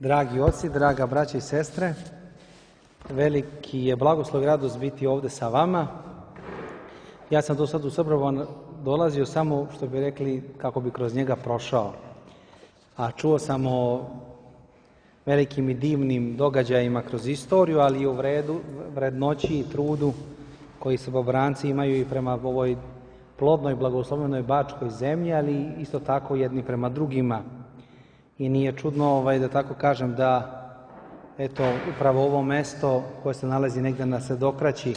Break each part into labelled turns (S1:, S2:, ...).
S1: Dragi oci, draga braća i sestre, veliki je blagoslov i radost biti ovdje sa vama. Ja sam do sad u Srbovan dolazio samo, što bi rekli, kako bi kroz njega prošao. A čuo sam o velikim i divnim događajima kroz istoriju, ali i o vrednoći i trudu koji Srbobranci imaju i prema ovoj plodnoj, blagoslovenoj Bačkoj zemlji, ali isto tako jedni prema drugima. I nije čudno, da tako kažem, da eto, upravo ovo mesto koje se nalazi negdje na Sredokraći,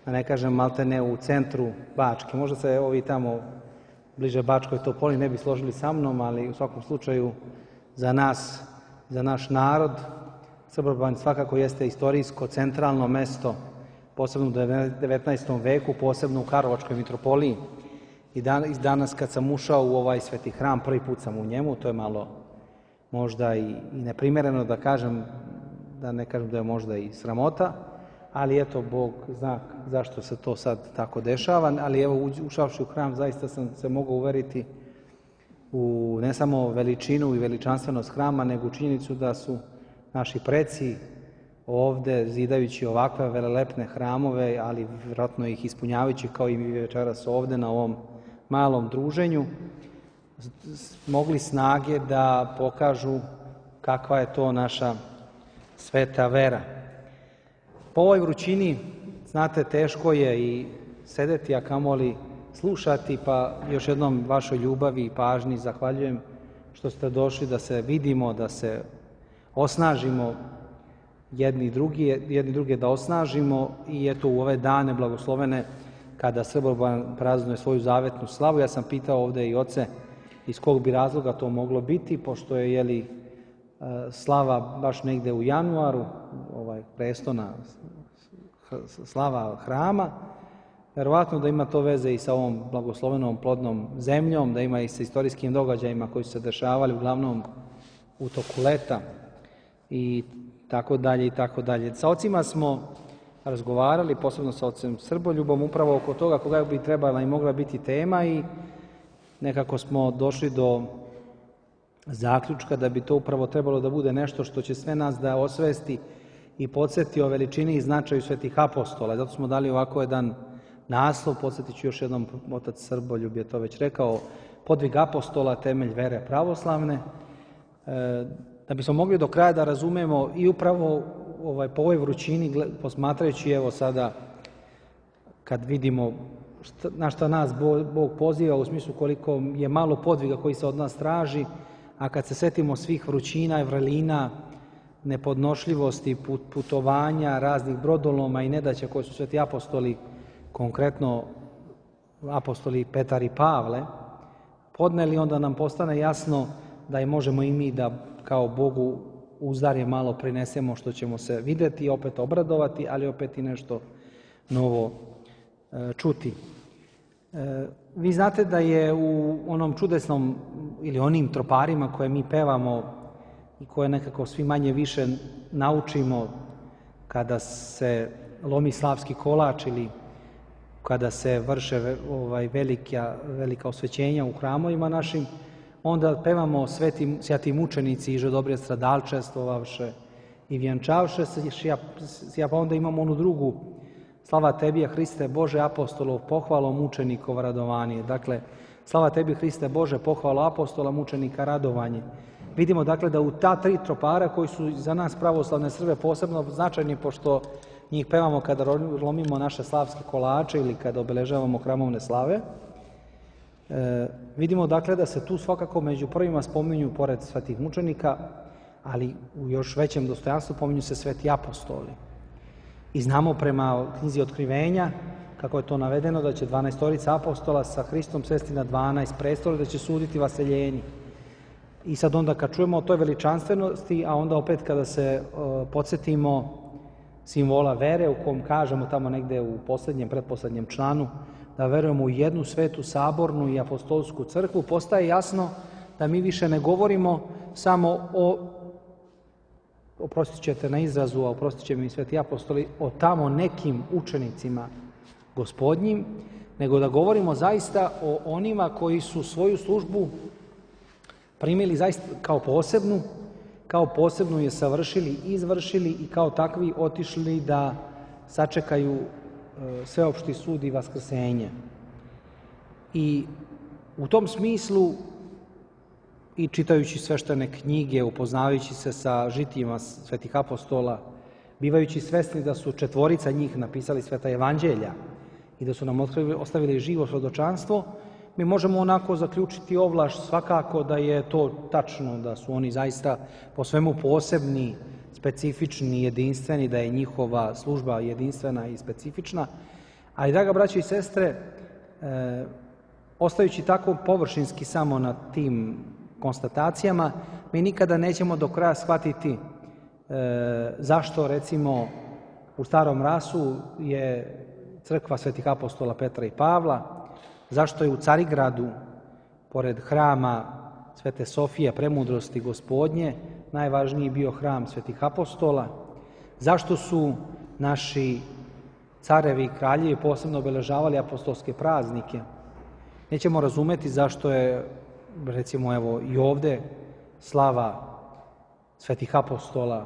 S1: da ne kažem maltene u centru Bačke. Možda se ovi tamo bliže Bačkoj Topoli ne bi složili sa mnom, ali u svakom slučaju za nas, za naš narod, Srboban svakako jeste istorijsko centralno mesto, posebno u 19. veku, posebno u Karlovačkoj mitropoliji. I danas kad sam ušao u ovaj sveti hram, prvi put sam u njemu, to je malo možda i neprimjereno da kažem, da ne kažem da je možda i sramota, ali eto, Bog zna zašto se to sad tako dešava, ali evo, ušavši u hram, zaista sam se mogao uveriti u ne samo veličinu i veličanstvenost hrama, nego u činjenicu da su naši preci ovde, zidajući ovakve velelepne hramove, ali vjerojatno ih ispunjavajući kao i mi večeras ovde na ovom malom druženju, mogli snage da pokažu kakva je to naša sveta vera. Po ovoj vrućini, znate, teško je i sedeti, a kamoli slušati, pa još jednom vašoj ljubavi i pažnji zahvaljujem što ste došli da se vidimo, da se osnažimo jedni druge da osnažimo i eto u ove dane blagoslovene kada Srboban praznuje svoju zavetnu slavu. Ja sam pitao ovde i oce iz kog bi razloga to moglo biti, pošto je slava baš negde u januaru, prestona slava hrama. Verovatno da ima to veze i sa ovom blagoslovenom plodnom zemljom, da ima i sa istorijskim događajima koji su se dešavali uglavnom u toku leta i tako dalje i tako dalje. Sa ocima smo razgovarali, posebno sa ocem Srboljubom, upravo oko toga koga bi trebala i mogla biti tema i nekako smo došli do zaključka da bi to upravo trebalo da bude nešto što će sve nas da osvesti i podsjeti o veličini i značaju svetih apostola. Zato smo dali ovako jedan naslov, podsjetit ću još jednom, otac Srboljub je to već rekao, podvig apostola, temelj vere pravoslavne, da bismo mogli do kraja da razumemo i upravo po ovoj vrućini, posmatrajući evo sada kad vidimo na šta nas Bog poziva u smislu koliko je malo podviga koji se od nas traži, a kad se setimo svih vrućina i vrelina, nepodnošljivosti, putovanja, raznih brodoloma i nedaća koje su sveti apostoli, konkretno apostoli Petar i Pavle, podneli, onda nam postane jasno da je možemo i mi da kao Bogu uzdarje malo prinesemo što ćemo se videti i opet obradovati, ali opet i nešto novo čuti. Vi znate da je u onom čudesnom ili onim troparima koje mi pevamo i koje nekako svi manje više naučimo kada se lomi slavski kolač ili kada se vrše velika osvećenja u hramovima našim, onda pevamo sveti mučenici iže dobre stradalčestvovavše i vjenčavše se, pa onda imamo onu drugu, slava tebi, Hriste Bože, apostolov, pohvalo mučenikov radovanje. Dakle, slava tebi, Hriste Bože, pohvalo apostola, mučenika, radovanje. Vidimo, dakle, da u ta tri tropara koji su za nas pravoslavne Srbe posebno značajni, pošto njih pevamo kada lomimo naše slavske kolače ili kada obeležavamo hramovne slave, vidimo, dakle, da se tu svakako među prvima spominju, pored svetih mučenika, ali u još većem dostojanstvu pominju se sveti apostoli. I znamo prema knjizi Otkrivenja, kako je to navedeno, da će 12 apostola sa Hristom sesti na 12 prestola, da će suditi vaseljenji. I sad onda kad čujemo o toj veličanstvenosti, a onda opet kada se podsjetimo simbola vere u kom kažemo tamo negde u pretposlednjem članu, da verujemo u jednu svetu, sabornu i apostolsku crkvu, postaje jasno da mi više ne govorimo samo oprostit ćete na izrazu, a oprostit će mi sveti apostoli, o tamo nekim učenicima gospodnjim, nego da govorimo zaista o onima koji su svoju službu primili zaista kao posebnu kao posebno je savršili, izvršili i kao takvi otišli da sačekaju sveopšti sud i vaskrsenje. I u tom smislu, i čitajući sveštene knjige, upoznavajući se sa žitijima svetih apostola, bivajući svesni da su 4 njih napisali sveta evanđelja i da su nam ostavili živo svjedočanstvo, mi možemo onako zaključiti ovlaš svakako da je to tačno, da su oni zaista po svemu posebni, specifični, jedinstveni, da je njihova služba jedinstvena i specifična. Ali, draga braćo i sestre, ostajući tako površinski samo na tim konstatacijama, mi nikada nećemo do kraja shvatiti zašto, recimo, u Starom Rasu je crkva svetih apostola Petra i Pavla, zašto je u Carigradu, pored hrama Svete Sofije, Premudrosti Gospodnje, najvažniji bio hram svetih apostola, zašto su naši carevi i kraljevi posebno obeležavali apostolske praznike. Nećemo razumeti zašto je, recimo, evo i ovde slava svetih apostola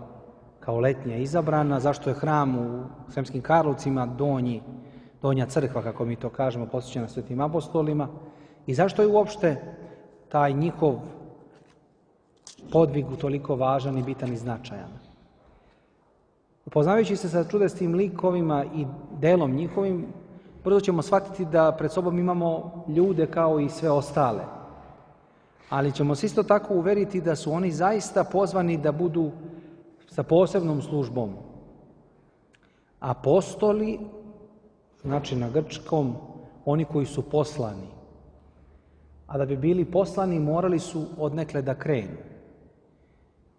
S1: kao letnja izabrana, zašto je hram u Sremskim Karlovcima donja crkva, kako mi to kažemo, posvećena svetim apostolima, i zašto je uopšte taj njihov podvig toliko važan i bitan i značajan. Upoznavajući se sa čudesnim likovima i delom njihovim, brzo ćemo shvatiti da pred sobom imamo ljude kao i sve ostale. Ali ćemo se isto tako uveriti da su oni zaista pozvani da budu sa posebnom službom. Apostoli, znači na grčkom, oni koji su poslani. A da bi bili poslani, morali su odnekle da krenu.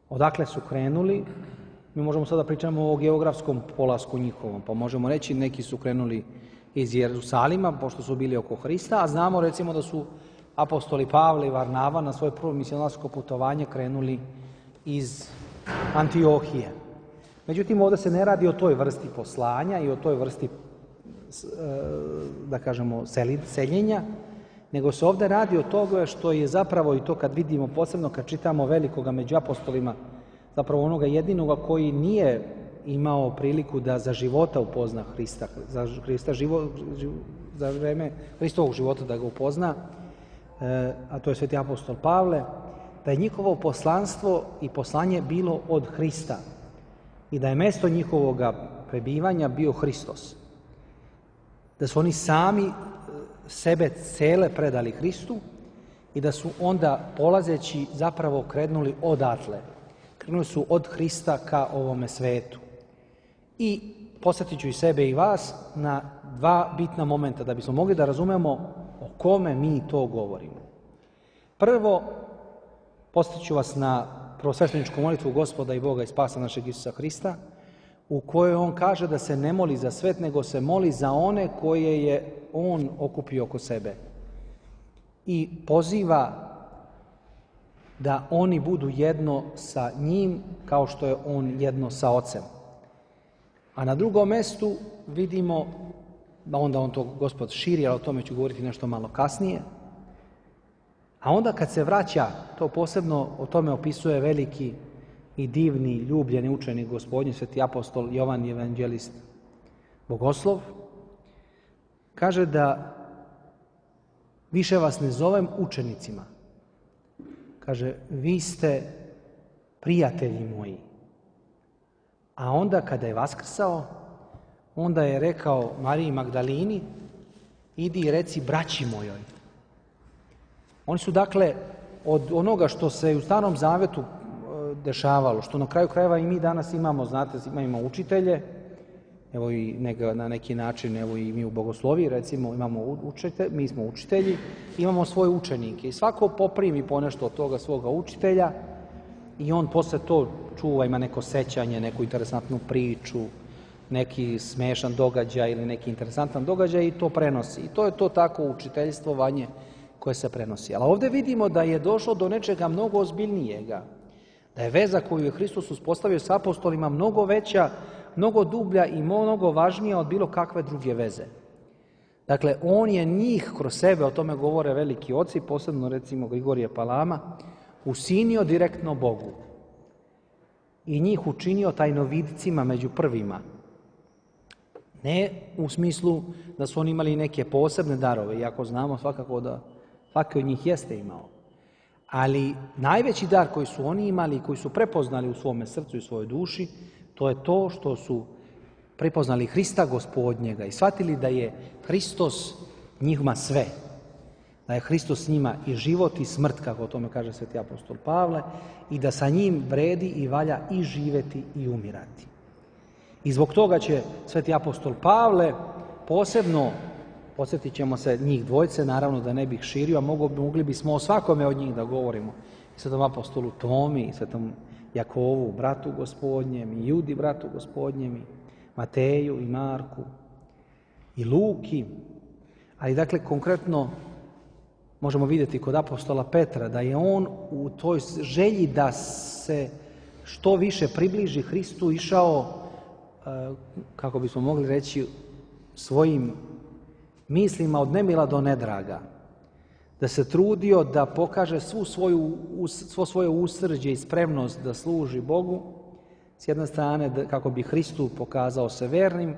S1: Odakle su krenuli? Mi možemo sada pričamo o geografskom polasku njihovom, pa možemo reći neki su krenuli iz Jerusalima, pošto su bili oko Hrista, a znamo recimo da su apostoli Pavle i Varnava na svoje prvo misionarsko putovanje krenuli iz Antiohije. Međutim, ovdje se ne radi o toj vrsti poslanja i o toj vrsti, da kažemo, seljenja, nego se ovdje radi o toga što je zapravo, i to kad vidimo posebno kad čitamo velikoga među apostolima, zapravo onoga jedinoga koji nije imao priliku da za života upozna Hrista, za vreme Hristovog života da ga upozna, a to je sveti apostol Pavle, da je njihovo poslanstvo i poslanje bilo od Hrista i da je mesto njihovog prebivanja bio Hristos. Da su oni sami sebe cele predali Hristu i da su onda polazeći zapravo krenuli odatle. Krenuli su od Hrista ka ovome svetu. I posjetit ću i sebe i vas na 2 bitna momenta da bismo mogli da razumemo o kome mi to govorimo. Prvo, posjetit ću vas na prvosvešteničku molitvu Gospoda i Boga i Spasa našeg Isusa Hrista, u kojoj on kaže da se ne moli za svet, nego se moli za one koje je on okupio oko sebe. I poziva da oni budu jedno sa njim kao što je on jedno sa Ocem. A na drugom mestu vidimo, onda on to Gospod širi, ali o tome ću govoriti nešto malo kasnije, a onda kad se vraća, to posebno o tome opisuje veliki i divni, ljubljeni učenik Gospodnji, sveti apostol Jovan evanđelist Bogoslov, kaže da više vas ne zovem učenicima. Kaže, vi ste prijatelji moji. A onda kada je vaskrsao, onda je rekao Mariji Magdalini, idi i reci braći mojoj. Oni su dakle od onoga što se u Starom Zavetu dešavalo, što na kraju krajeva i mi danas imamo, znate, imamo učitelje, evo i na neki način, evo i mi u bogosloviji, recimo, mi smo učitelji, imamo svoje učenike i svako poprimi ponešto od toga svoga učitelja i on posle to čuva, ima neko sećanje, neku interesantnu priču, neki smešan događaj ili neki interesantan događaj i to prenosi. I to je to tako učiteljstvovanje koje se prenosi. Ali ovdje vidimo da je došlo do nečega mnogo ozbiljnijega, da je veza koju je Hristos uspostavio s apostolima mnogo veća, mnogo dublja i mnogo važnija od bilo kakve druge veze. Dakle, on je njih kroz sebe, o tome govore veliki oci, posebno recimo Grigorije Palama, usinio direktno Bogu. i njih učinio tajnovidcima među prvima. Ne u smislu da su oni imali neke posebne darove, iako znamo svakako da svaki od njih jeste imao. Ali najveći dar koji su oni imali i koji su prepoznali u svome srcu i svojoj duši, to je to što su prepoznali Hrista Gospodnjega i shvatili da je Hristos njima sve. Da je Hristos njima i život i smrt, kako o tome kaže sveti apostol Pavle, i da sa njim vredi i valja i živjeti i umirati. I zbog toga će sveti apostol Pavle posebno, podsjetit ćemo se njih dvojce, naravno da ne bih širio, a mogli bismo o svakome od njih da govorimo. I svetom apostolu Tomi, i svetom Jakovu, bratu Gospodnjem, i Judi, bratu Gospodnjem, i Mateju, i Marku, i Luki. Ali dakle, konkretno možemo vidjeti kod apostola Petra da je on u toj želji da se što više približi Hristu išao, kako bismo mogli reći, svojim mislima od nemila do nedraga. Da se trudio da pokaže svo svoje usrđe i spremnost da služi Bogu, s jedne strane kako bi Hristu pokazao se vernim,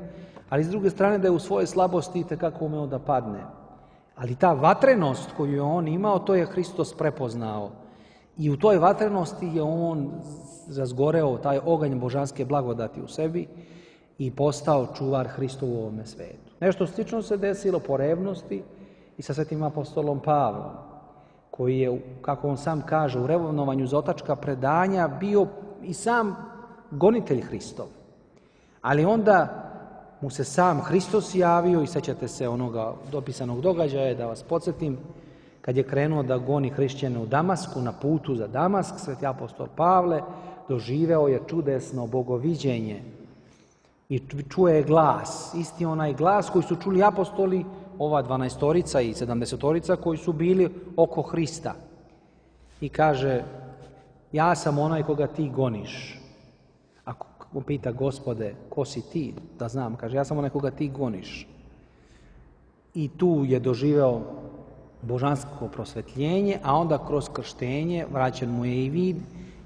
S1: ali s druge strane da je u svojoj slabosti itekako umeo da padne. Ali ta vatrenost koju je on imao, to je Hristos prepoznao. I u toj vatrenosti je on razgoreo taj oganj božanske blagodati u sebi i postao čuvar Hristu u ovome svetu. Nešto slično se desilo po revnosti i sa svetim apostolom Pavlom, koji je, kako on sam kaže, u revnovanju za otačka predanja bio i sam gonitelj Hristov. Ali onda mu se sam Hristos javio i sećate se onoga dopisanog događaja, da vas podsjetim, kad je krenuo da goni hrišćane u Damasku, na putu za Damask, sveti apostol Pavle doživeo je čudesno bogoviđenje i čuje glas, isti onaj glas koji su čuli apostoli, ova 12-torica i 70-torica koji su bili oko Hrista. I kaže, ja sam onaj koga ti goniš. Ako pita, Gospode, ko si ti? Da znam, kaže, ja sam onaj koga ti goniš. I tu je doživeo božansko prosvetljenje, a onda kroz krštenje vraćen mu je i vid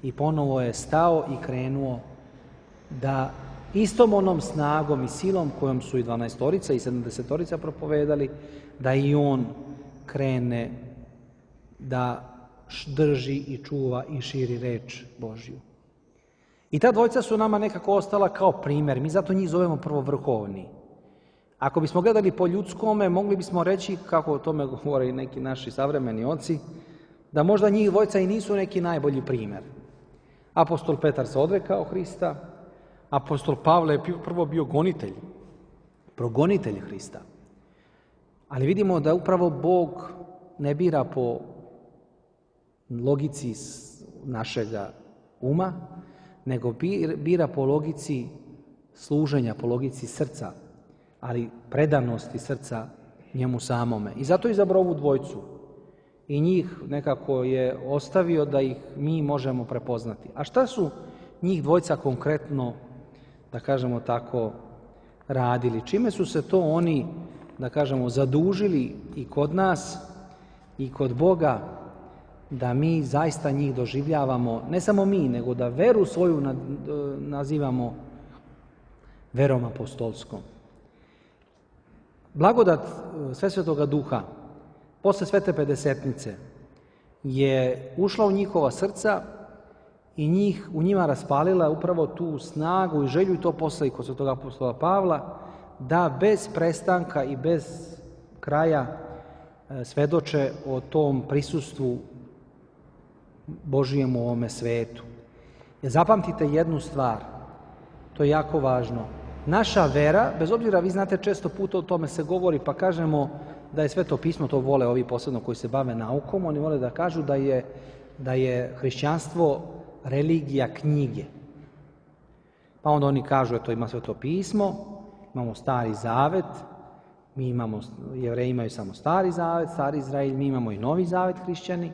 S1: i ponovo je stao i krenuo da istom onom snagom i silom kojom su i 12-torica i 70-torica propovedali, da i on krene da drži i čuva i širi reč Božju. I ta dvojca su nama nekako ostala kao primjer. Mi zato njih zovemo prvovrhovni. Ako bismo gledali po ljudskome, mogli bismo reći, kako o tome govore i neki naši savremeni oci, da možda njih dvojca i nisu neki najbolji primjer. Apostol Petar se odrekao Hrista, apostol Pavle je prvo bio gonitelj, progonitelj Hrista. Ali vidimo da upravo Bog ne bira po logici našega uma, nego bira po logici služenja, po logici srca, ali predanosti srca njemu samome. I zato je izabrao ovu dvojcu. I njih nekako je ostavio da ih mi možemo prepoznati. A šta su njih dvojca konkretno, da kažemo tako, radili? Čime su se to oni, da kažemo, zadužili i kod nas i kod Boga, da mi zaista njih doživljavamo, ne samo mi, nego da veru svoju nazivamo verom apostolskom. Blagodat Svetoga Duha posle Svete Pedesetnice je ušla u njihova srca i u njima raspalila upravo tu snagu i želju, i to posle i kod Svetog apostola Pavla, da bez prestanka i bez kraja svedoče o tom prisustvu Božijem u ovome svetu. Jer zapamtite jednu stvar, to je jako važno. Naša vera, bez obzira, vi znate, često puta o tome se govori, pa kažemo da je Sveto pismo, to vole ovi posebno koji se bave naukom, oni vole da kažu da je hrišćanstvo religija knjige. Pa onda oni kažu, eto, ima Sveto pismo, imamo Stari Zavet, Jevreji imaju samo Stari Zavet, Stari Izrael, mi imamo i Novi Zavet, hrišćani,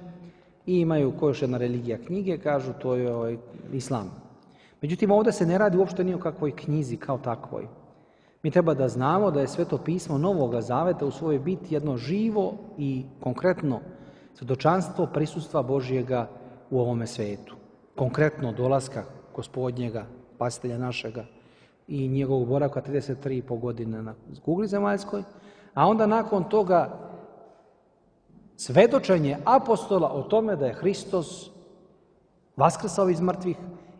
S1: i imaju koja još jedna religija knjige, kažu to je islam. Međutim, ovdje se ne radi uopšte ni o kakvoj knjizi kao takvoj. Mi treba da znamo da je Sveto pismo Novoga Zaveta u svojoj biti jedno živo i konkretno svjedočanstvo prisustva Božjega u ovome svetu. Konkretno dolaska Gospodnjega, Spasitelja našega i njegovog boravka 33,5 godine na kugli zemaljskoj, a onda nakon toga svedočenje apostola o tome da je Hristos vaskrsao iz mrtvih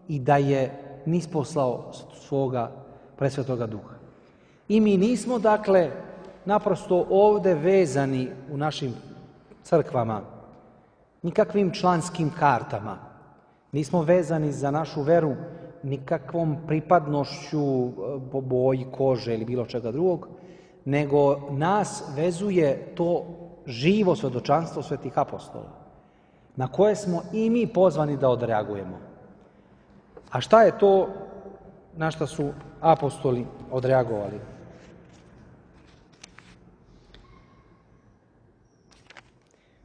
S1: i da je nisposlao svoga presvetoga duha. I mi nismo, dakle, naprosto ovdje vezani u našim crkvama nikakvim članskim kartama. Nismo vezani za našu veru nikakvom pripadnošću po boji kože ili bilo čega drugog, nego nas vezuje to živo svjedočanstvo svetih apostola, na koje smo i mi pozvani da odreagujemo. A šta je to na šta su apostoli odreagovali?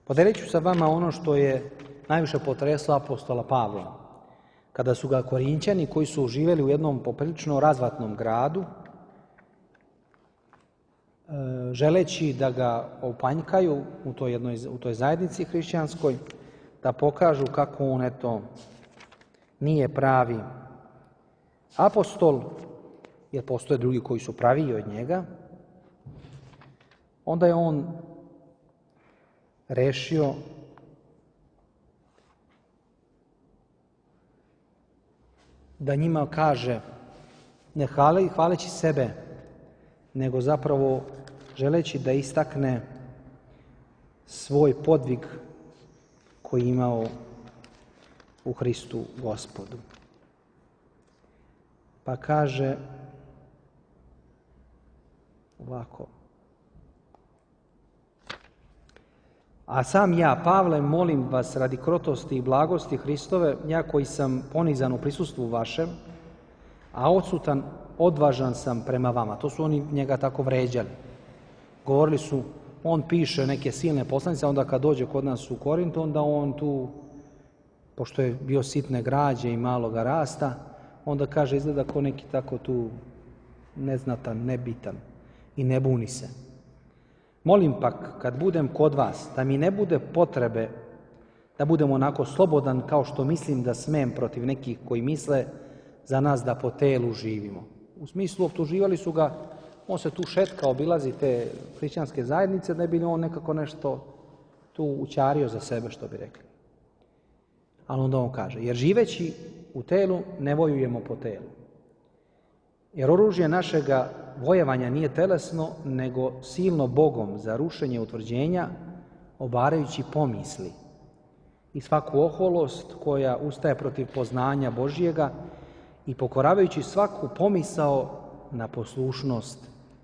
S1: Podelit ću sa vama ono što je najviše potreslo apostola Pavla, kada su ga Korinćani, koji su živjeli u jednom poprilično razvatnom gradu, želeći da ga opanjkaju u toj zajednici hrišćanskoj, da pokažu kako on nije pravi apostol, jer postoje drugi koji su praviji od njega, onda je on rešio da njima kaže, ne hvaleći sebe, nego zapravo želeći da istakne svoj podvig koji je imao u Hristu Gospodu. Pa kaže ovako: a sam ja, Pavle, molim vas radi krotosti i blagosti Hristove, ja koji sam ponizan u prisustvu vašem, a odsutan, odvažan sam prema vama. To su oni njega tako vređali. Govorili su, on piše neke silne poslanice, onda kad dođe kod nas u Korint, onda on tu, pošto je bio sitne građe i maloga rasta, onda kaže, izgleda ko neki tako tu neznatan, nebitan i ne buni se. Molim pak, kad budem kod vas, da mi ne bude potrebe da budem onako slobodan kao što mislim da smem protiv nekih koji misle za nas da po telu živimo. U smislu, optuživali su ga, on se tu šetka, obilazi te hrišćanske zajednice, da bi on nekako nešto tu ućario za sebe, što bi rekli. Ali onda on kaže, jer živeći u telu ne vojujemo po telu. Jer oružje našega vojevanja nije telesno, nego silno Bogom za rušenje utvrđenja, obarajući pomisli i svaku oholost koja ustaje protiv poznanja Božjega i pokoravajući svaku pomisao na poslušnost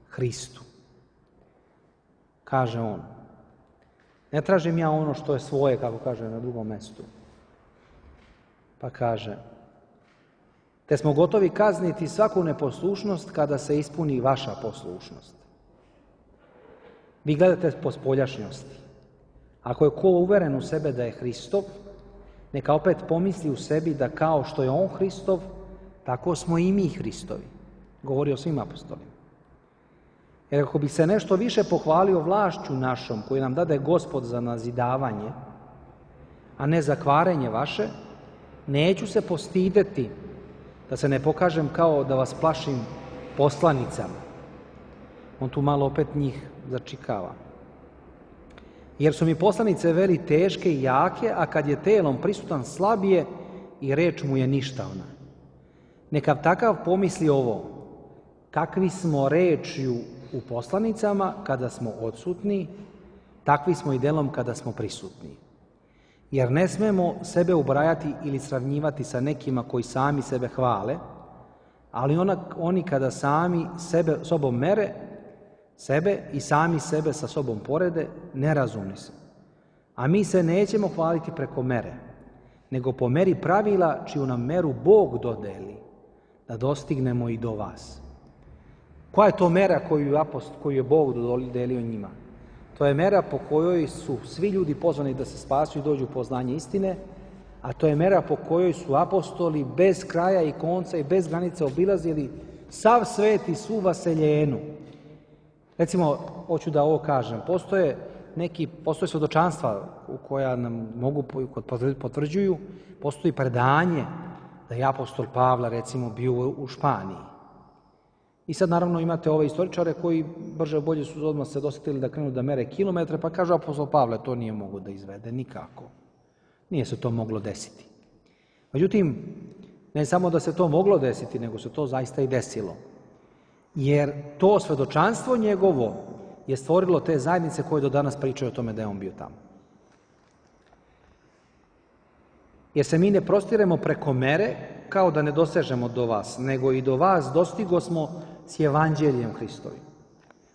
S1: Hristu. Kaže on, ne tražim ja ono što je svoje, kako kaže na drugom mjestu. Pa kaže, te smo gotovi kazniti svaku neposlušnost kada se ispuni vaša poslušnost. Vi gledate po spoljašnjosti. Ako je ko uveren u sebe da je Hristov, neka opet pomisli u sebi da kao što je on Hristov, tako smo i mi Hristovi. Govori o svim apostolima. Jer ako bi se nešto više pohvalio vlašću našom, koju nam dade Gospod za nazidavanje, a ne za kvarenje vaše, neću se postideti da se ne pokažem kao da vas plašim poslanicama. On tu malo opet njih začikava. Jer su mi poslanice veli teške i jake, a kad je telom prisutan slabije i reč mu je ništavna. Neka takav pomisli ovo, kakvi smo rečju u poslanicama kada smo odsutni, takvi smo i delom kada smo prisutni. Jer ne smemo sebe ubrajati ili sravnjivati sa nekima koji sami sebe hvale, ali oni kada sami sebe sobom mere, sebe i sami sebe sa sobom porede, nerazumni su. A mi se nećemo hvaliti preko mere, nego po meri pravila čiju nam meru Bog dodeli, da dostignemo i do vas. Koja je to mera koju je Bog dodelio njima? To je mera po kojoj su svi ljudi pozvani da se spasu i dođu u poznanje istine, a to je mera po kojoj su apostoli bez kraja i konca i bez granice obilazili sav svet i svu vaseljenu. Recimo, hoću da ovo kažem, postoje svjedočanstva koja nam mogu potvrđuju, postoji predanje da je apostol Pavle recimo bio u Španiji. I sad naravno imate ove istoričare koji brže bolje su odmah se dosjetili da krenu da mere kilometre, pa kažu apostol Pavle to nije mogao da izvede nikako. Nije se to moglo desiti. Međutim, ne samo da se to moglo desiti, nego se to zaista i desilo. Jer to svedočanstvo njegovo je stvorilo te zajednice koje do danas pričaju o tome da je on bio tamo. Jer se mi ne prostiremo preko mere kao da ne dosežemo do vas, nego i do vas dostigo smo s evanđeljem Hristovim.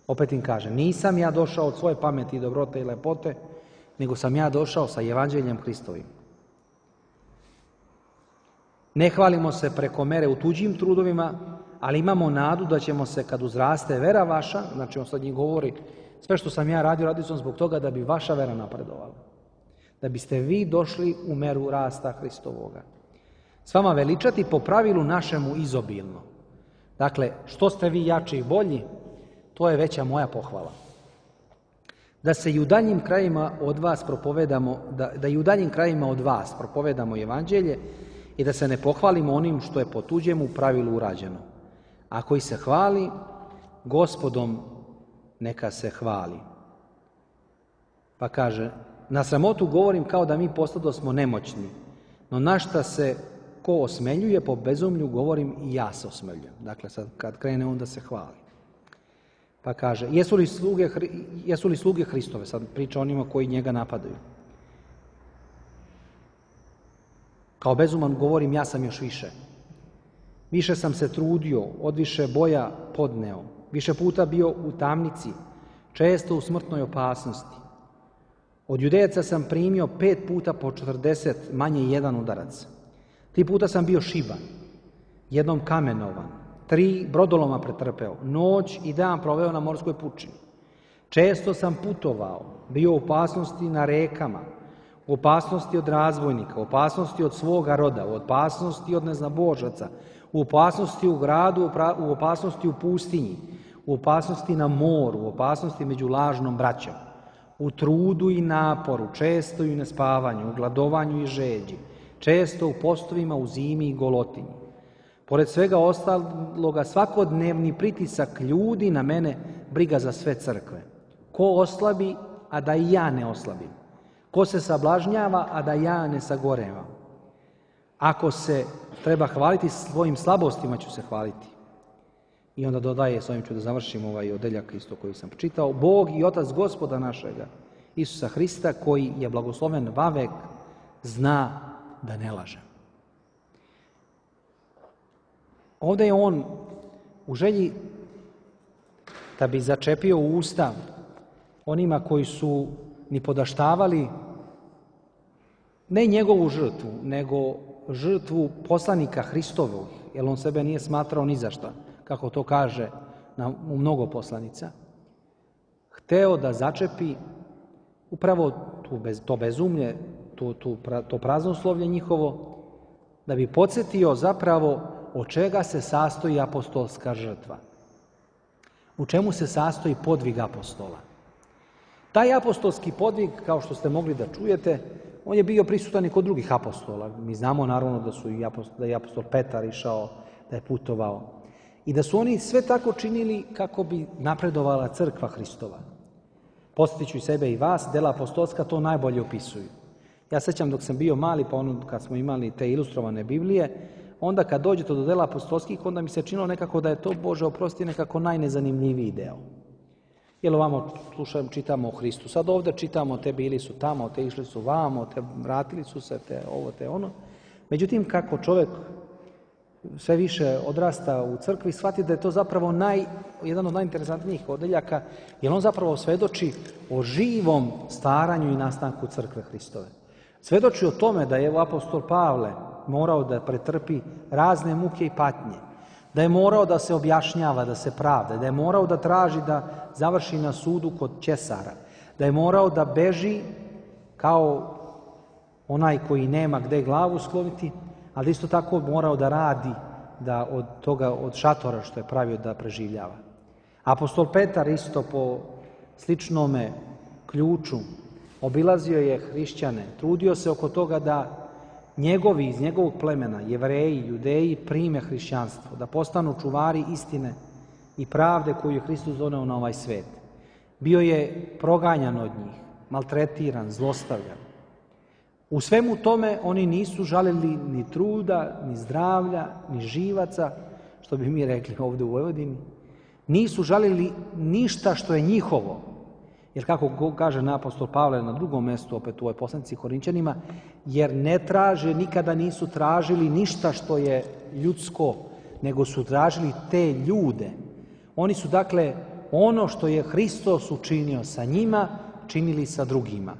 S1: Opet im kaže, nisam ja došao od svoje pameti, dobrote i lepote, nego sam ja došao sa evanđeljem Hristovim. Ne hvalimo se preko mere u tuđim trudovima, ali imamo nadu da ćemo se, kad uzraste vera vaša, znači on sad njih govori, sve što sam ja radio, radio sam zbog toga da bi vaša vera napredovala. Da biste vi došli u meru rasta Hristovoga. S vama veličati po pravilu našemu izobilno. Dakle, što ste vi jači i bolji, to je veća moja pohvala. Da se i u daljnjim krajima od vas propovedamo, da i u daljnjim krajima od vas propovedamo evanđelje i da se ne pohvalimo onim što je po tuđemu pravilu urađeno. A koji se hvali, Gospodom neka se hvali. Pa kaže, na sramotu govorim kao da mi postado smo nemoćni, no na šta se ko osmeljuje po bezumlju govorim i ja se osmeljujem. Dakle, sad kad krene on da se hvali. Pa kaže, jesu li sluge Hristove? Sad priča onima koji njega napadaju. Kao bezuman govorim, ja sam još više. Više sam se trudio, odviše boja podneo, više puta bio u tamnici, često u smrtnoj opasnosti. Od Judejaca sam primio 5 puta po 40, manje 1 udarac. 3 puta sam bio šiban, jednom kamenovan, 3 brodoloma pretrpeo, noć i dan proveo na morskoj pučini. Često sam putovao, bio u opasnosti na rekama, u opasnosti od razbojnika, u opasnosti od svoga roda, u opasnosti od neznabožaca, u opasnosti u gradu, u opasnosti u pustinji, u opasnosti na moru, u opasnosti među lažnom braćom, u trudu i naporu, često i u nespavanju, u gladovanju i žeđi, često u postovima, u zimi i golotinji. Pored svega ostaloga, svakodnevni pritisak ljudi na mene, briga za sve crkve. Ko oslabi, a da i ja ne oslabim. Ko se sablažnjava, a da ja ne sagorevam. Ako se treba hvaliti svojim slabostima, ću se hvaliti. I onda dodaje, s ovim ću da završim ovaj odeljak isto koji sam čitao, Bog i Otac Gospoda našega, Isusa Hrista, koji je blagosloven vavek, zna da ne laže. Ovdje je on u želji da bi začepio usta onima koji su ni podaštavali ne njegovu žrtvu, nego žrtvu poslanika Hristovog, jer on sebe nije smatrao ni za šta, kako to kaže u mnogo poslanica, hteo da začepi upravo to bezumlje, to praznoslovlje njihovo, da bi podsjetio zapravo od čega se sastoji apostolska žrtva. U čemu se sastoji podvig apostola. Taj apostolski podvig, kao što ste mogli da čujete, on je bio prisutan i kod drugih apostola. Mi znamo naravno da je apostol Petar išao, da je putovao. I da su oni sve tako činili kako bi napredovala crkva Hristova. Podsjetit ću i sebe i vas, dela apostolska to najbolje opisuju. Ja sećam dok sam bio mali, pa kad smo imali te ilustrovane Biblije, onda kad dođete do dela apostolskih, onda mi se činilo nekako da je to, Bože oprosti, nekako najnezanimljiviji deo. Jer ovamo čitamo o Hristu. Sad ovdje čitamo te bili su tamo, te išli su vamo, te vratili su se, te ovo, te ono. Međutim, kako čovjek sve više odrasta u crkvi, shvati da je to zapravo jedan od najinteresantnijih odeljaka, jer on zapravo svedoči o živom staranju i nastanku crkve Hristove. Svedoči o tome da je apostol Pavle morao da pretrpi razne muke i patnje, da je morao da se objašnjava, da se pravda, da je morao da traži da završi na sudu kod Ćesara, da je morao da beži kao onaj koji nema gde glavu skloniti, ali isto tako morao da radi da od šatora što je pravio da preživljava. Apostol Petar isto po sličnome ključu obilazio je hrišćane, trudio se oko toga da njegovi iz njegovog plemena, Jevreji, Judeji, prime hrišćanstvo, da postanu čuvari istine i pravde koju je Hristos doneo na ovaj svet. Bio je proganjan od njih, maltretiran, zlostavljan. U svemu tome oni nisu žalili ni truda, ni zdravlja, ni živaca, što bi mi rekli ovdje u Vojvodini. Nisu žalili ništa što je njihovo. Jer kako kaže apostol Pavle na drugom mjestu, opet u ovoj poslanici Korinćanima, jer ne traže, nikada nisu tražili ništa što je ljudsko, nego su tražili te ljude. Oni su dakle ono što je Hristos učinio sa njima, činili sa drugima.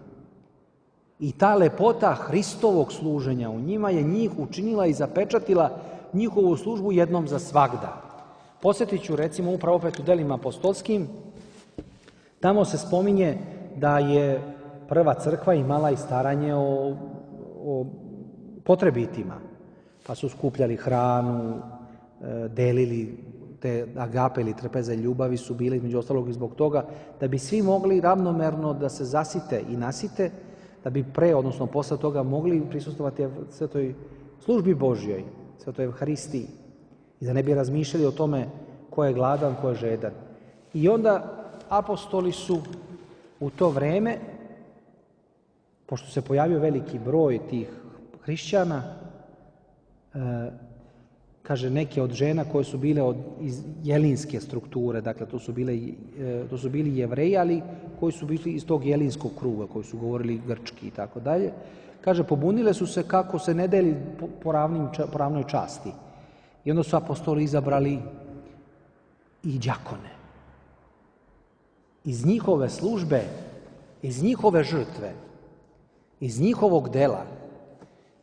S1: I ta lepota Hristovog služenja u njima je njih učinila i zapečatila njihovu službu jednom za svagda. Posjetit ću recimo upravo opet u delima apostolskim, tamo se spominje da je prva crkva imala i staranje o potrebitima, pa su skupljali hranu, delili te agape ili trpeze ljubavi su bile između ostalog i zbog toga da bi svi mogli ravnomerno da se zasite i nasite, da bi odnosno posle toga mogli prisustvovati svetoj službi Božjoj, svetoj Evharistiji i da ne bi razmišljali o tome ko je gladan, ko je žedan. I onda apostoli su u to vreme, pošto se pojavio veliki broj tih hrišćana, kaže neke od žena koje su bile iz jelinske strukture, dakle to su bili Jevreji, ali koji su bili iz tog jelinskog kruga, koji su govorili grčki i tako dalje. Kaže, pobunile su se kako se ne deli po ravnoj časti. I onda su apostoli izabrali i đakone. Iz njihove službe, iz njihove žrtve, iz njihovog dela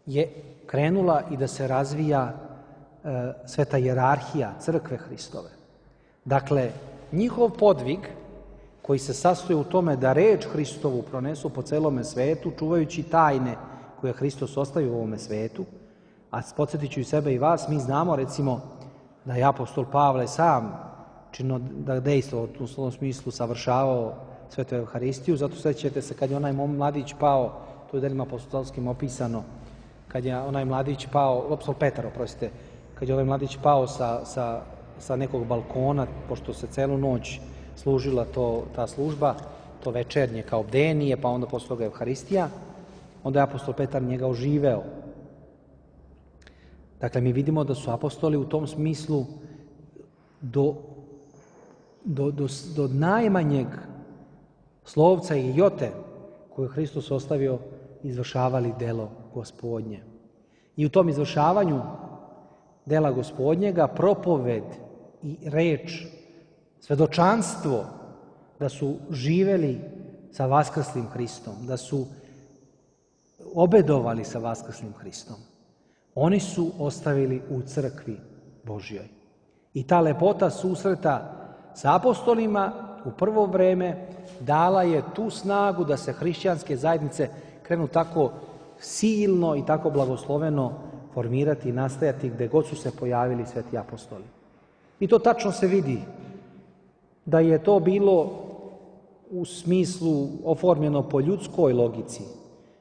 S1: je krenula i da se razvija sveta hijerarhija crkve Hristove. Dakle, njihov podvig koji se sastoji u tome da reč Hristovu pronesu po celome svetu, čuvajući tajne koje je Hristos ostavio u ovome svetu, a podsjetit ću i sebe i vas, mi znamo recimo da je apostol Pavle sam da dejstvo u tom smislu savršavao svetu Evharistiju, zato sećate se kad je onaj mladić pao, to je u delima apostolskim opisano, kad je onaj mladić pao, apostol Petar, oprostite, kad je onaj mladić pao sa nekog balkona, pošto se celu noć služila ta služba, to večernje kao bdenije, pa onda posle toga Evharistija, onda je apostol Petar njega oživeo. Dakle, mi vidimo da su apostoli u tom smislu do najmanjeg slovca i jote koje je Hristos ostavio izvršavali delo Gospodnje. I u tom izvršavanju dela Gospodnjega propoved i reč, svedočanstvo da su živeli sa vaskrslim Hristom, da su obedovali sa vaskrslim Hristom. Oni su ostavili u crkvi Božjoj. I ta lepota susreta sa apostolima u prvo vreme dala je tu snagu da se hrišćanske zajednice krenu tako silno i tako blagosloveno formirati i nastajati gde god su se pojavili sveti apostoli. I to tačno se vidi da je to bilo u smislu oformljeno po ljudskoj logici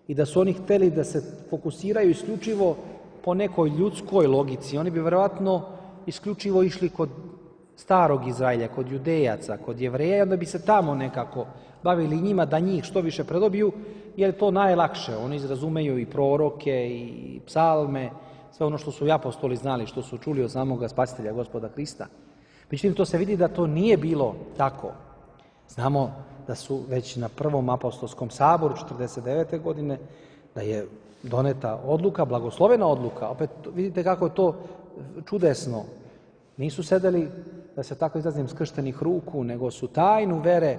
S1: i da su oni hteli da se fokusiraju isključivo po nekoj ljudskoj logici. Oni bi verovatno isključivo išli kod starog Izraelja, kod Judejaca, kod Jevreja i onda bi se tamo nekako bavili njima da njih što više predobiju, jer je to najlakše. Oni izrazumeju i proroke i psalme, sve ono što su i apostoli znali, što su čuli od samoga Spasitelja, Gospoda Hrista. Međutim, to se vidi da to nije bilo tako. Znamo da su već na prvom apostolskom saboru 49. godine, da je doneta odluka, blagoslovena odluka. Opet vidite kako je to čudesno. Nisu sedeli, da se tako izrazim, skrštenih ruku, nego su tajnu vere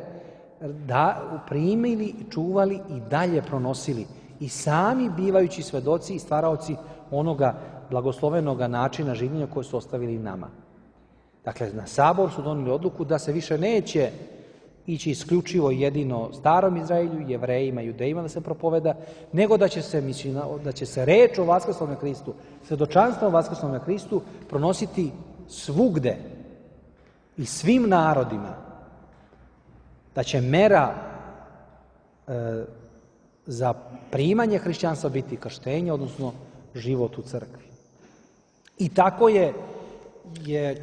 S1: primili, čuvali i dalje pronosili. I sami bivajući svedoci i stvaraoci onoga blagoslovenoga načina življenja koje su ostavili nama. Dakle, na sabor su doneli odluku da se više neće ići isključivo jedino starom Izraelju, Jevrejima, Judejima da se propoveda, nego da će se reč o vaskrslome Hristu, svedočanstvo o vaskrslome Hristu pronositi svugde i svim narodima, da će mera za primanje hrišćanstva biti krštenje, odnosno život u crkvi. I tako je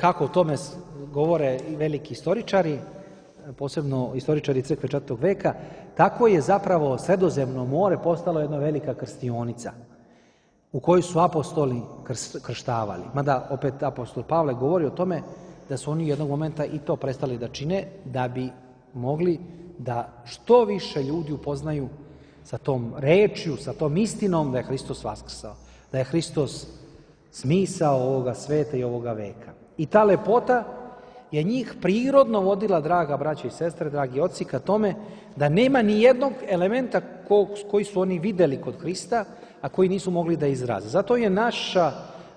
S1: kako o tome govore i veliki istoričari, posebno istoričari crkve 4. veka, tako je zapravo Sredozemno more postalo jedna velika krstionica u kojoj su apostoli krštavali. Mada opet apostol Pavle govori o tome da su oni jednog momenta i to prestali da čine da bi mogli da što više ljudi upoznaju sa tom rečju, sa tom istinom da je Hristos vaskrsao, da je Hristos smisao ovoga sveta i ovoga veka. I ta lepota je njih prirodno vodila, draga braće i sestre, dragi oci, ka tome da nema ni jednog elementa koji su oni videli kod Hrista, a koji nisu mogli da izraze. Zato je naša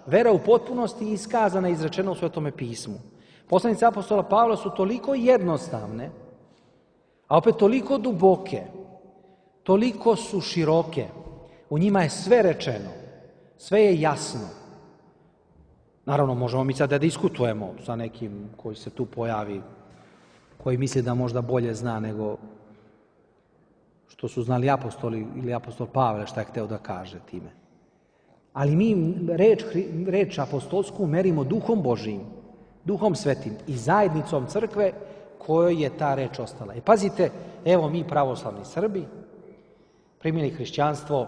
S1: vera u potpunosti iskazana i izrečena u Svetome pismu. Poslanice apostola Pavla su toliko jednostavne, a opet toliko duboke, toliko su široke. U njima je sve rečeno, sve je jasno. Naravno, možemo mi sad da diskutujemo sa nekim koji se tu pojavi, koji misli da možda bolje zna nego što su znali apostoli ili apostol Pavle šta je hteo da kaže time. Ali mi reč apostolsku merimo duhom Božijim, duhom svetim i zajednicom crkve kojoj je ta reč ostala. I pazite, evo mi pravoslavni Srbi primili hrišćanstvo,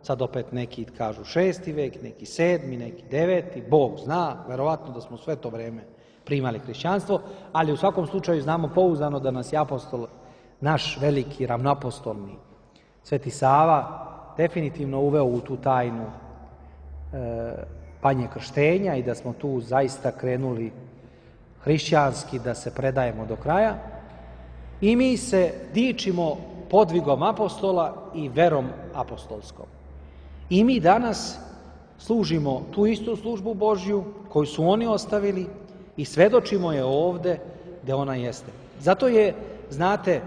S1: sad opet neki kažu 6. vek, neki 7., neki 9., Bog zna, verovatno da smo sve to vreme primali hrišćanstvo, ali u svakom slučaju znamo pouzdano da nas je apostol, naš veliki ravnoapostolni Sveti Sava, definitivno uveo u tu tajnu panje krštenja i da smo tu zaista krenuli hrišćanski da se predajemo do kraja. I mi se dičimo podvigom apostola i verom apostolskom. I mi danas služimo tu istu službu Božju koju su oni ostavili i svedočimo je ovde gde ona jeste. Zato je, znate,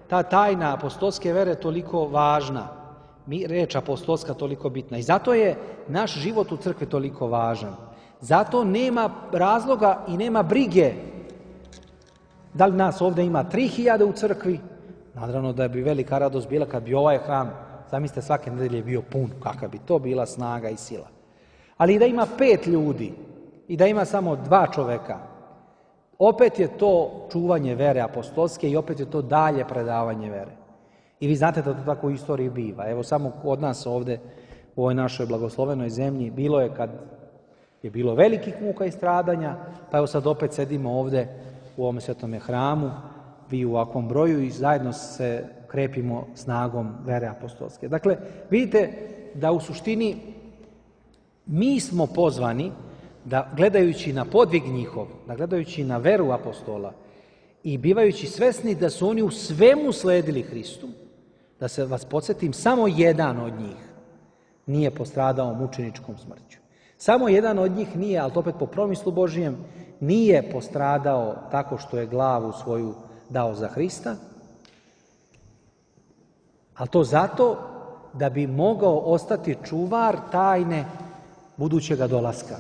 S1: ta tajna apostolske vere toliko važna, reč apostolska toliko bitna i zato je naš život u crkvi toliko važan. Zato nema razloga i nema brige da li nas ovde ima 3000 u crkvi. Naravno da bi velika radost bila kad bi ovaj hram, zamislite, svake nedelje bio pun, kakva bi to bila snaga i sila. Ali i da ima 5 ljudi i da ima samo 2 čoveka, opet je to čuvanje vere apostolske i opet je to dalje predavanje vere. I vi znate da to tako u istoriji biva. Evo samo od nas ovde u ovoj našoj blagoslovenoj zemlji bilo je kad je bilo velikih muka i stradanja, pa evo sad opet sedimo ovde u ovom svetome hramu, vi u ovakvom broju i zajedno se krepimo snagom vere apostolske. Dakle, vidite da u suštini mi smo pozvani da gledajući na podvig njihov, da gledajući na veru apostola i bivajući svesni da su oni u svemu sledili Hristu, da se vas podsjetim, samo jedan od njih nije postradao mučeničkom smrću. Samo jedan od njih nije, ali to opet po promislu Božijem, nije postradao tako što je glavu svoju dao za Hrista, ali to zato da bi mogao ostati čuvar tajne budućega dolaska.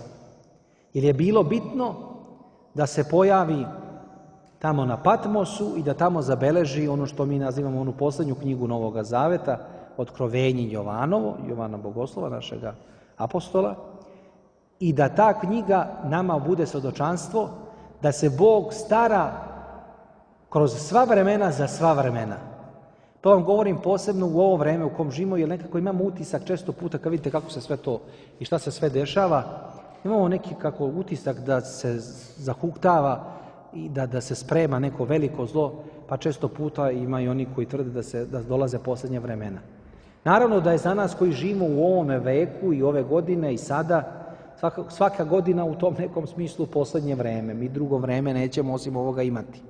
S1: Jer je bilo bitno da se pojavi tamo na Patmosu i da tamo zabeleži ono što mi nazivamo onu poslednju knjigu Novoga Zaveta, Otkrovenje Jovanovo, Jovana Bogoslova, našega apostola, i da ta knjiga nama bude svedočanstvo da se Bog stara kroz sva vremena za sva vremena. To vam govorim posebno u ovo vreme u kom živimo, jer nekako imamo utisak često puta kad vidite kako se sve to i šta se sve dešava, imamo neki kako utisak da se zahuktava i da se sprema neko veliko zlo, pa često puta ima i oni koji tvrde da dolaze posljednje vremena. Naravno da je za nas koji živimo u ovome veku i ove godine i sada, svaka godina u tom nekom smislu posljednje vreme. Mi drugo vreme nećemo osim ovoga imati.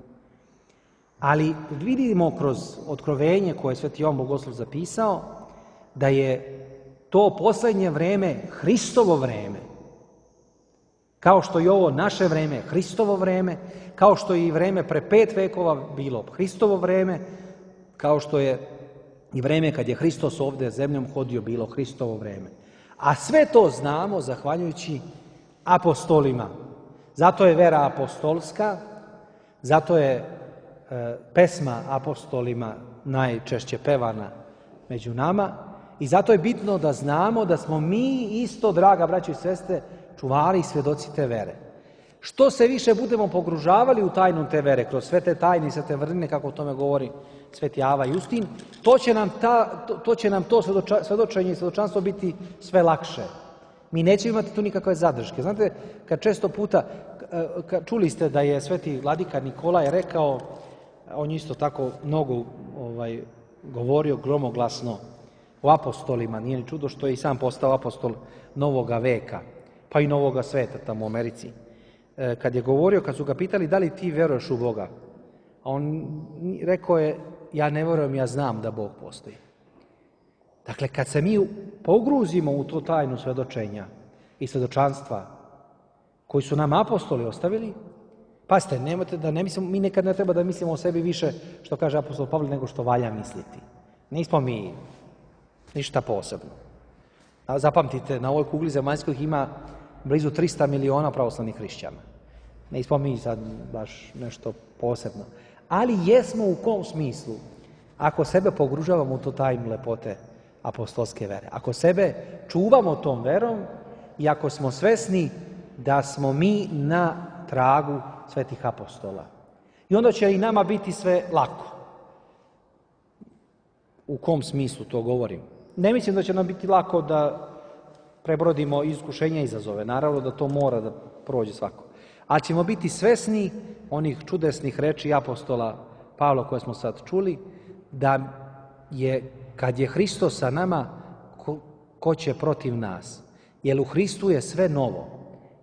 S1: Ali vidimo kroz otkrovenje koje je Sveti Jovan Bogoslov zapisao, da je to posljednje vreme Hristovo vreme. Kao što je ovo naše vreme Hristovo vreme, kao što je i vreme pre 5 vekova bilo Hristovo vreme, kao što je i vreme kad je Hristos ovde zemljom hodio bilo Hristovo vreme. A sve to znamo zahvaljujući apostolima. Zato je vera apostolska, zato je pesma apostolima najčešće pevana među nama I zato je bitno da znamo da smo mi isto, draga braćo i sestre, čuvari i svjedoci te vere. Što se više budemo pogružavali u tajnu te vere, kroz sve te tajne i sve te vrline, kako o tome govori Sveti Ava Justin, to će nam to svjedočenje i svjedočanstvo biti sve lakše. Mi nećemo imati tu nikakve zadrške. Znate, kad često puta, čuli ste da je Sveti Vladika Nikolaj rekao, on je isto tako mnogo govorio gromoglasno o apostolima, nije ni čudo što je i sam postao apostol novoga veka, pa i novoga sveta tamo u Americi. Kad je govorio, kad su ga pitali da li ti vjeruješ u Boga, a on rekao je, ja ne vjerujem, ja znam da Bog postoji. Dakle, kad se mi pogruzimo u tu tajnu svjedočenja i svjedočanstva koji su nam apostoli ostavili, pazite, nemojte da ne mislimo, mi nekad ne treba da mislimo o sebi više, što kaže apostol Pavle, nego što valja misliti. Nismo mi ništa posebno. A zapamtite, na ovoj kugli zemaljskoj ima blizu 300 miliona pravoslavnih hrišćana. Nismo mi sad baš nešto posebno. Ali jesmo u kom smislu? Ako sebe pogružavamo u to tajnu lepote apostolske vere. Ako sebe čuvamo tom verom i ako smo svesni da smo mi na tragu svetih apostola. I onda će i nama biti sve lako. U kom smislu to govorim? Ne mislim da će nam biti lako da prebrodimo iskušenja i izazove. Naravno da to mora da prođe svako. Ali ćemo biti svesni onih čudesnih reči apostola Pavla koje smo sad čuli, da je, kad je Hristos sa nama, ko će protiv nas? Jer u Hristu je sve novo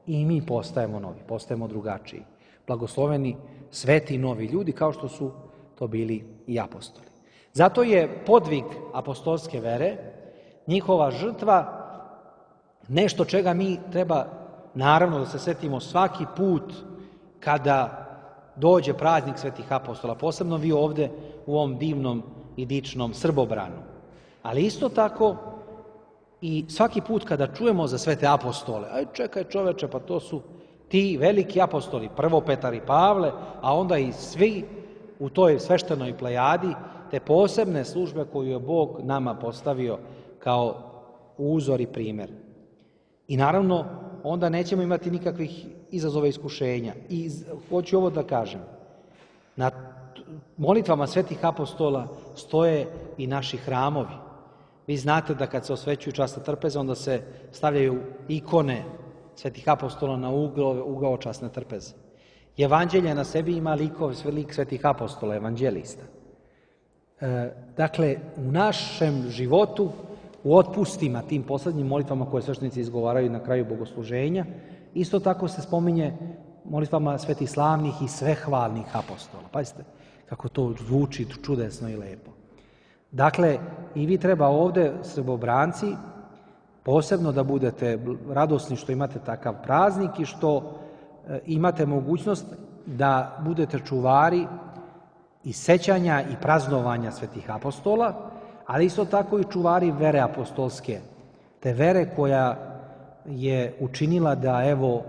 S1: i mi postajemo novi, postajemo drugačiji. Blagosloveni sveti novi ljudi kao što su to bili i apostoli. Zato je podvig apostolske vere, njihova žrtva, nešto čega mi treba, naravno, da se setimo svaki put kada dođe praznik svetih apostola, posebno vi ovde u ovom divnom i dičnom Srbobranu. Ali isto tako i svaki put kada čujemo za svete apostole, aj čekaj čoveče, pa to su ti veliki apostoli, prvo Petar i Pavle, a onda i svi u toj sveštenoj plejadi, te posebne službe koju je Bog nama postavio kao uzor i primjer. I naravno, onda nećemo imati nikakvih izazova i iskušenja. I hoću ovo da kažem. Na molitvama svetih apostola stoje i naši hramovi. Vi znate da kad se osvećuju časne trpeze, onda se stavljaju ikone svetih apostola na ugao časne trpeze. Evanđelje na sebi ima lik svetih apostola, evanđelista. Dakle, u našem životu, u otpustima, tim poslednjim molitvama koje sveštenici izgovaraju na kraju bogosluženja, isto tako se spominje molitvama svetih slavnih i svehvalnih apostola. Pazite kako to zvuči čudesno i lepo. Dakle, i vi treba ovde, Srbobranci, posebno da budete radosni što imate takav praznik i što imate mogućnost da budete čuvari i sećanja i praznovanja svetih apostola, ali isto tako i čuvari vere apostolske, te vere koja je učinila da, evo,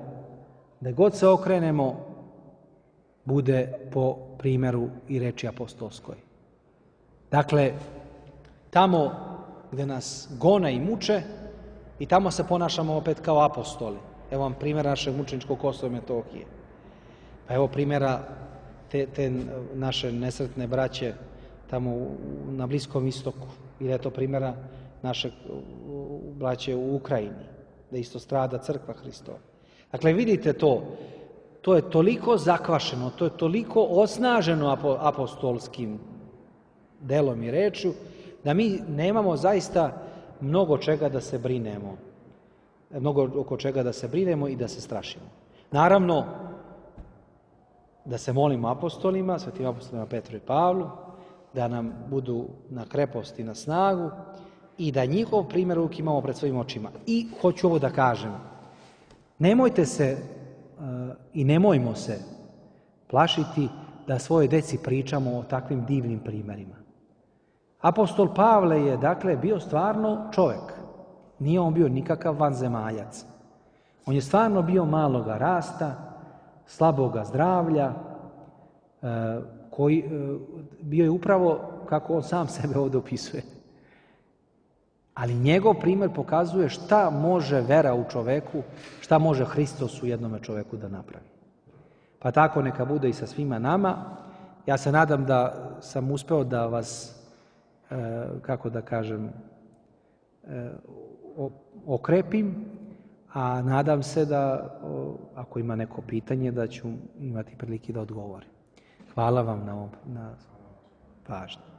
S1: da god se okrenemo, bude po primjeru i reči apostolskoj. Dakle, tamo gde nas gone i muče, i tamo se ponašamo opet kao apostoli. Evo vam primjera našeg mučeničkog Kosova i Metohije. Pa evo primjera te naše nesretne braće tamo na Bliskom istoku. Ili je to primjera našeg braće u Ukrajini, da isto strada crkva Hristova. Dakle, vidite to je toliko zakvašeno, to je toliko osnaženo apostolskim delom i rečju, da mi nemamo zaista mnogo čega da se brinemo. Mnogo oko čega da se brinemo i da se strašimo. Naravno, da se molimo apostolima, svetim apostolima Petru i Pavlu, da nam budu na krepost i na snagu i da njihov primjer uvijek imamo pred svojim očima. I hoću ovo da kažem, nemojte se i nemojmo se plašiti da svoje deci pričamo o takvim divnim primjerima. Apostol Pavle je, dakle, bio stvarno čovjek. Nije on bio nikakav vanzemaljac. On je stvarno bio maloga rasta, slaboga zdravlja, koji bio je upravo kako on sam sebe ovdje opisuje. Ali njegov primjer pokazuje šta može vera u čoveku, šta može Hristos u jednome čoveku da napravi. Pa tako neka bude i sa svima nama. Ja se nadam da sam uspeo da vas, kako da kažem, okrepim, a nadam se da, ako ima neko pitanje, da ću imati prilike da odgovorim. Hvala vam na pažnji.